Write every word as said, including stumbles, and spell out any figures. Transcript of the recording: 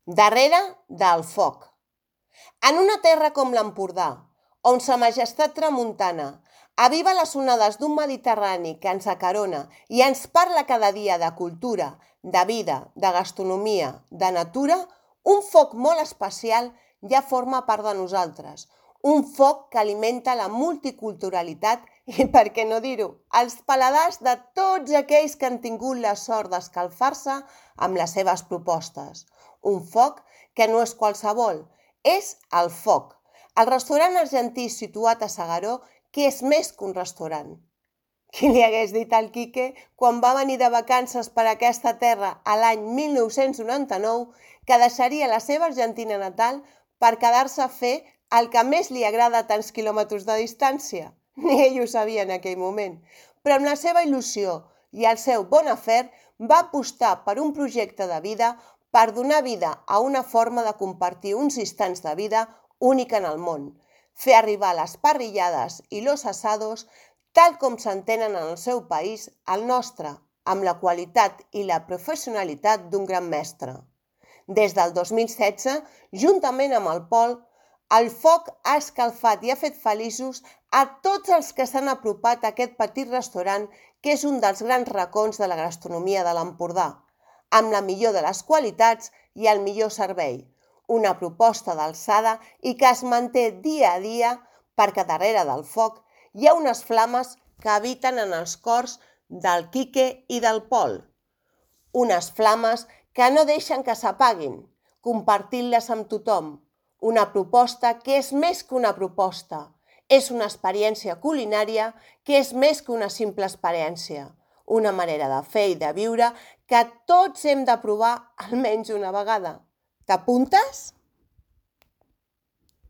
Darrere del foc. En una terra com l'Empordà, on sa majestat tramuntana aviva les onades d'un Mediterrani que ens acarona i ens parla cada dia de cultura, de vida, de gastronomia, de natura, un foc molt especial ja forma part de nosaltres. Un foc que alimenta la multiculturalitat i, per què no dir-ho, els paladars de tots aquells que han tingut la sort d'escalfar-se amb les seves propostes. Un foc que no és qualsevol, és el Foc, el restaurant argentí situat a S'Agaró, que és més que un restaurant. Qui li hagués dit al Quique, quan va venir de vacances per aquesta terra a l'any mil nou-cents noranta-nou, que deixaria la seva Argentina natal per quedar-se a fer el que més li agrada a tants quilòmetres de distància? Ni ell ho sabia en aquell moment. Però amb la seva il·lusió i el seu bon afer va apostar per un projecte de vida per donar vida a una forma de compartir uns instants de vida única en el món, fer arribar les parrillades i los asados tal com s'entenen en el seu país, el nostre, amb la qualitat i la professionalitat d'un gran mestre. Des del dos mil setze, juntament amb el Pol, el foc ha escalfat i ha fet feliços a tots els que s'han apropat a aquest petit restaurant que és un dels grans racons de la gastronomia de l'Empordà, amb la millor de les qualitats i el millor servei. Una proposta d'alçada i que es manté dia a dia perquè darrere del foc hi ha unes flames que habiten en els cors del Quique i del Pol. Unes flames que no deixen que s'apaguin, compartint-les amb tothom. Una proposta que és més que una proposta. És una experiència culinària que és més que una simple experiència. Una manera de fer i de viure que tots hem de provar almenys una vegada. T'apuntes?